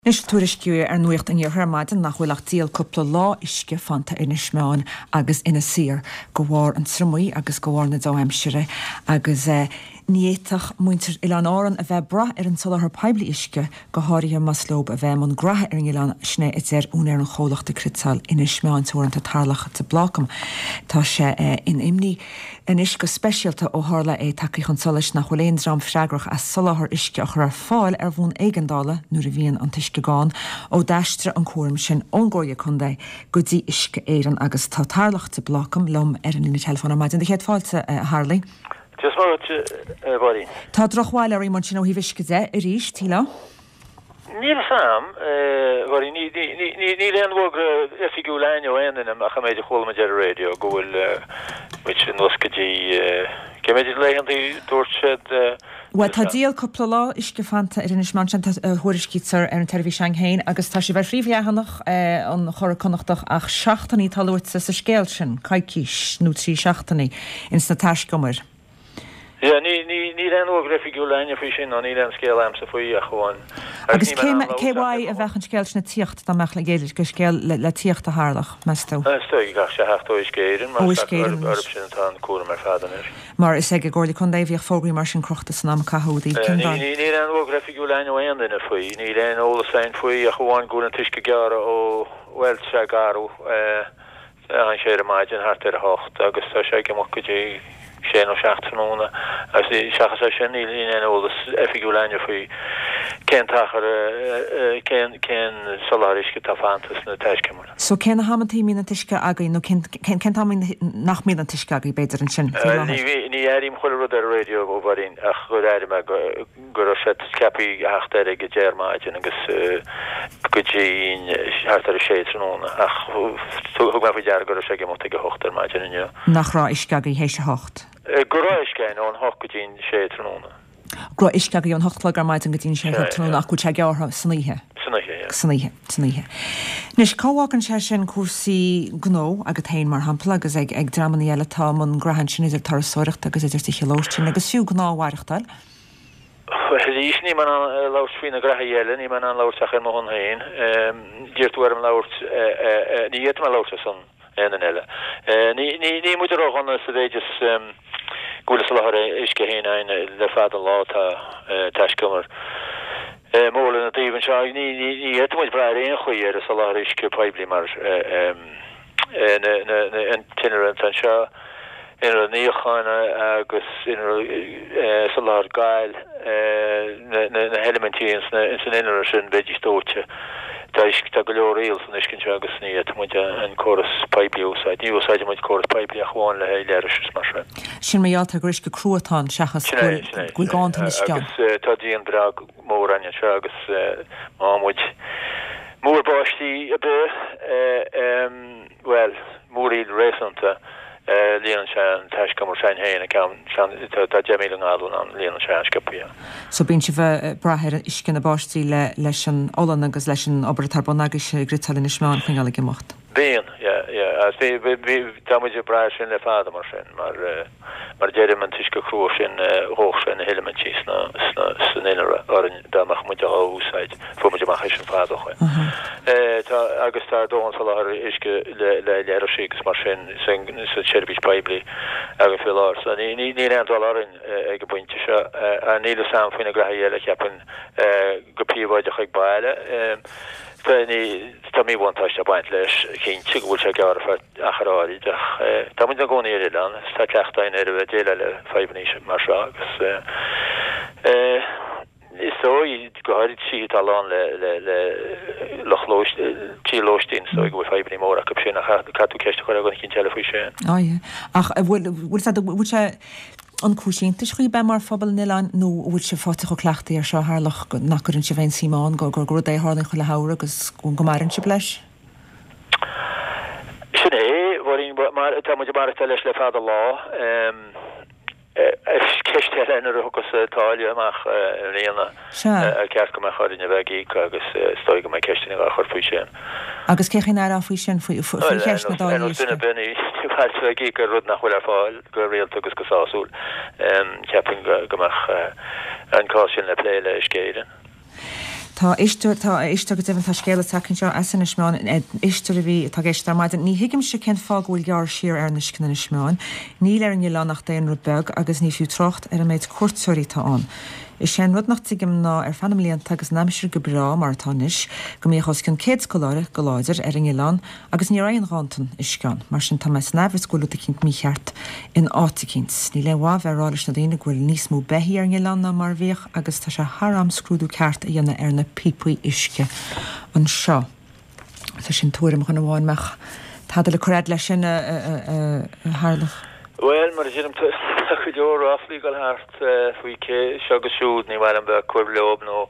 Anois tuairiscíodh ar Nuacht an Iarthair ar maidin nach bhfuil ach díol cúpla lá uisce fanta ar Inis Meáin agus Inis Oírr de bharr an triomaigh agus de bharr na dea-aimsire agus ní fhéadfadh muintir Oileáin Árann a bheith ag brath ar an soláthar poiblí uisce go háirithe más leo a bheith i mbun graithe ar an oileán, sin é a deir úinéir an chomhlachta Cniotáil Inis Meáin Teoranta Tarlach de Blácam. Tá sé in imní. Anois go speisialta ó tharla é tagtha chun solais nach bhfuil aon dream freagrach as soláthar uisce a chur ar fáil ar bhonn éigeandála nuair a bhíonn an t-uisce gann, ó d'aistrigh an cúram sin ón gComhairle Contae go dtí Uisce Éireann agus tá Tarlach de Blácam liom ar an líne teileafóin ar maidin. Do chéad fáilte, a Tharlaigh. Dia is Muire dhuit, a Mháirín. Tá drochbhail oraibh ansin ó thaobh uisce de arís, shílfeá? Níl a fhios a'm, a Mháirín, níl aon fhógra oifigiúil a'inn ó aon duine ach an méid a chuala muid ar an raidió go bhfuil muid anuas go dtí, cé mhéad laethanta dúirt siad? Bhuel, tá díol cúpla lá uisce fanta ar Inis Meáin, sin a thuairiscítear ar an tseirbhís a'inn féin agus tá sibh ar phríomhleathanach an Churadh Connachtach ach seachtainí atá luaite sa scéal sin, coicís nó 3 seachtainí ins na taiscumair. Yeah, ní, ní, níl aon fhógra oifigiúil a'inne faoi sin, ná níl aon scéal a'msa faoi ach amháin. Agus cé, cé uaidh a bheadh an scéal sin ag tíocht dá mbeadh le, scéal le, le tíocht a Tharlach, meas tú? Is dóigh go gcaithfidh sé theacht ó Uisce Éireann, mar Ó Uisce Éireann orthu sin atá an cúram ar fad anois. Mar is ag an gComhairle Contae a bhíodh fógraí mar sin crochta san am a caitheadh i dtaobh Ní, ní, níl aon fhógra oifigiúil a'inn ó aon duine faoi, níl aon eolas a'inn faoi ach amháin go bhfuil an t-uisce gearrtha ó, bhuel, sé garbh, eh, Thagann sé ar maidin thart ar a hocht agus tá sé ag imeacht go dtí sé nó seacht tráthnóna agus seachas é sin níl aon eolas oifigiúil a'inne faoi cén t-achar, cén cén soláthar uisce atá fanta sna taiscumair. So cé na hamantaí a mbíonn an t-uisce agaibh nó cén cén cén t-am nach mbíonn an t-uisce agaibh b'fhéidir ansin faoi láthair? Ní airím chuile rud ar an raidió a Mháirín ach gur airigh mé go go raibh sé ceaptha a theacht ar ag a deich ar maidin agus go dtí thart ar a sé tráthnóna ach thug mé faoi deara go raibh sé ag imeacht ag a hocht ar maidin inniu. Nach raibh uisce agaibh théis a hocht? Go raibh uisce againn ón hocht go dtí an sé tráthnóna. Go raibh uisce agaibh ón hocht a chlog ar maidin go dtí an sé a chlog tráthnóna ach go bhfuil sé gearrtha san oíche? San oíche, yeah. San oíche, san oíche. Anois, cá bhfágann sé sin cúrsaí gnó agat féin, mar shampla, agus ag ag dreamanna eile atá i mbun graithe ansin idir turasóireacht agus idir tithe lóistín agus fiú gnáthmhaireachtáil? Arís, níl mé in ann labhairt faoi na graithí eile, níl mé in ann labhairt ach ar mo shon féin. D'iarr tú orm labhairt, ní fhéadfaidh mé labhairt ar son aon duine eile. Níl muid ródhona sa mhéid is go bhfuil an soláthar uisce féin againn le fada an lá, tá taiscumar mór lena dtaobh anseo. Ní fhéadfaidh muid brath ar aon chaoi ar an soláthar uisce poiblí mar. an t-innealra atá anseo, innealra níocháin agus innealra soláthar gail, na heilimintí ins an innealra sin, bheidís dóite. Tá uisce, tá go leor aol san uisce anseo agus ní fhéadfaidh muid an córas poiblí a úsáid. Ní úsáideann muid córas poiblí ach amháin le haghaidh leithris is mar sin. Sin mar gheall ar gur uisce crua atá ann seachas go bhfuil ganntan uisce ann. Agus tá díon breá mór againn anseo agus má fhaigheann muid múr báistí ar bith, bhuel, múiríl réasúnta, líonann sé an taiscumar s'againn féin, an ceann, tá 10,000 ngallún ann, líonann sé an-sciobtha é. So bíonn sibh ag brath ar uisce na báistí leis an olann agus leis an obair atá ar bun agaibhse ag Cniotáil Inis Meáin a choinneáil ag imeacht? Bíonn, yeah, yeah, agus bhí, bhí, tá muid ag brath air sin le fada mar sin, mar. Mar a deirim, an t-uisce crua sin, dhódh sé na heilimintí sna, sna, san innealra orainn dá mbeadh muid á úsáid. Fuair muid amach é sin fada ó shoin. Tá, agus tá dóthain soláthar uisce le, le leithrisí agus mar sin san, sa tseirbhís poiblí againn faoi láthair. So ní, ní, níl aon dul orainn ag an bpointe seo. Níl fhios a'm faoi na graithí eile, cheapfainn, go príobháideach ag baile. Tá, ní, tá míbhuntáiste ag baint leis, cinnte, go bhfuil sé gearrtha ar feadh. achar áirid ach tá muid ina gcónaí ar oileán agus tá cleachtadh againn ar a bheith ag déileáil le fadhbanna mar seo agus is dóigh, go háirid tithe atá lán le le le lucht lóist, tí lóistín, is dóigh go bhfuil fadhbanna móra acu sin ach caithfidh tú ceist a chur ar dhuine eicínt eile faoi sin. Á yeah. Ach an bhfuil, bhfuil sé, bhfuil sé an cúis iontais dhaoibh bheith mar phobal an oileáin nó an bhfuil sibh faighte chomh cleachtaithe air seo a Tharlach nach gcuireann sibh aon suim ann, gur gur rud é a tharlaíonn chuile shamhradh agus go maireann sibh leis? Sin é, a Mháirín, mar tá muid ag maireachtáil leis le fada lá. Ceist eile nuair a thiocfas táille amach i mbliana, ar cheart go mbeadh orainn a bheith ag íoc agus is dóigh go mbeidh ceisteanna á chur faoi sin. Agus cén chaoi a n-aireofá faoi sin, faoi cheist na dtáillí uisce? Ar nós duine ar bith, ní maith leat a bheith ag íoc ar rud nach bhfuil ar fáil go rialta agus go sásúil. Cheapfainn go mbeadh an cás sin le plé le Uisce Éireann. Tá éisteoir, tá éisteoir go deimhin, tá scéala tagtha anseo as Inis Meáin, éisteoir a bhí, atá ag éisteacht ar maidin. Ní thuigimse cén fáth go bhfuil gearradh siar ar an uisce in Inis Meáin. Níl ar an oileán ach daonra beag agus ní fiú trácht ar an méid cuairteoirí atá ann. Is é an rud nach dtuigim ná ar feadh na mblianta agus an aimsir go breá mar atá anois, go mbíodh os cionn 100 scoláire, go láidir, ar an oileán agus ní raibh aon ghanntan uisce ann. Mar sin tá mé san aimhreas go bhfuil rud eicínt mícheart in áit eicínt. Níl aon mhaith bheith ag rá leis na daoine go bhfuil níos mó beithí ar an oileán ná mar a bhíodh agus tá sé thar am scrúdú ceart a dhéanamh ar na píopaí uisce anseo. So sin tuairim dhuine amháin. Mbeadh tada le cur fhad leis sin, a Tharlach? Bhuel, mar a deirim, tá go leor ráflaí ag dul thart faoi cé seo agus siúd, ní maith liom bheith ag cur leob nó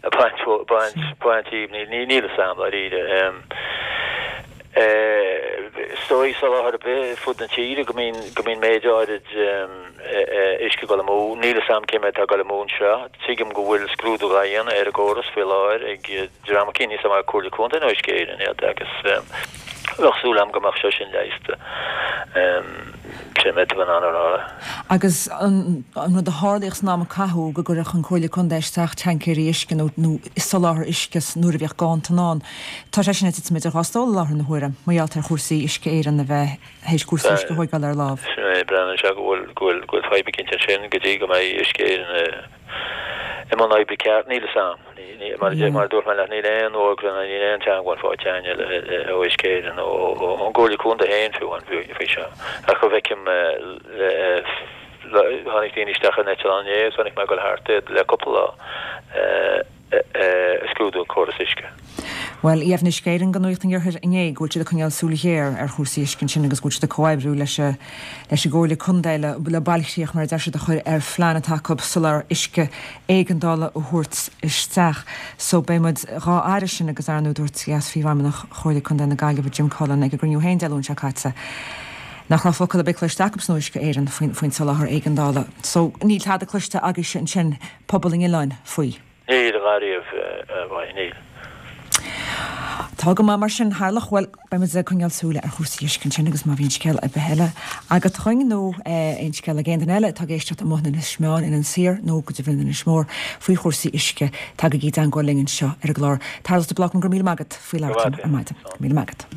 ag baint, baint, baint díobh, níl, níl fhios a'm, dáiríre. Is dóigh soláthar ar bith ar fud na tíre go mbíonn, go mbíonn méid áirid uisce ag dul amú. Níl fhios a'm cé méid atá ag dul amú anseo. Tuigim go bhfuil scrúdú dhá dhéanamh ar an gcóras faoi láthair ag dream eicínt, níl fhios a'm an Comhairle Contae nó Uisce Éireann iad agus bheadh súil a'm go mbeadh sé sin leigheasta. Sin an méid atá mé in ann a rá. Agus an rud a tharlaíodh san am a caitheadh, go gcuireadh an Chomhairle Contae isteach tancaeirí uisce nó nó soláthar uisce nuair a bhíodh ganntan ann, tá sé sin ag titim idir dhá stól i láthair na huaire, mar gheall ar chúrsaí Uisce Éireann a bheith théis cúrsaí uisce a thóigeáil ar lámh. Sin é, breathnaíonn sé go bhfuil go bhfuil go bhfuil fadhb eicínt ansin go dtí go mbeidh Uisce Éireann i mbun oibre ceart, níl fhios a'm. Mar a dúirt mé leat, níl aon fhógra ná níl aon teagmháil faighte againn ó Uisce Éireann nó ón gComhairle Contae féin fiú amháin faoi seo. Ach go bhfeicim, tháinig daoine isteach in eitleán inné agus chonaic mé ag dul thart iad le cúpla lá ag scrúdú an córas uisce. Bhuel, dheimhnigh Uisce Éireann do Nuacht an Iarthair inné go bhfuil siad ag coinneáil súil ghéar ar chúrsaí uisce ansin agus go bhfuil siad ag comhoibriú leis an leis an gComhairle Contae le le bailchríoch, mar a deir siad, a chur ar phlean atá acu soláthar uisce éigeandála a thabhairt isteach. So beidh muid dhá aire sin agus ar ndóigh dúirt Leas-Phríomhfheidhmeannach Chomhairle Contae na Gaillimhe Jim Cullen ag an gcruinniú féin Dé Luain seo caite nach raibh focal ar bith cloiste acusan ó Uisce Éireann faoin faoin soláthar éigeandála. So níl tada cloiste agaibhse ansin, pobal an oileáin, faoi. Níl, ariamh, bhuel, níl. Tá go maith mar sin, Tharlach. Bhuel, beidh muid ag coinneáil súile ar chúrsaí uisce ansin agus má bhíonn scéal ar bith eile agat chugainn nó aon scéal ag aon duine eile atá ag éisteacht amuigh in Inis Meáin, in Inis Oírr nó go deimhin in Inis Mór faoi chúrsaí uisce, tagaigí i dteangmháil linn anseo ar an gclár. Tarlach de Blácam, go raibh míle maith agat faoi labhairt liom ar maidin. Go raibh míle maith agat.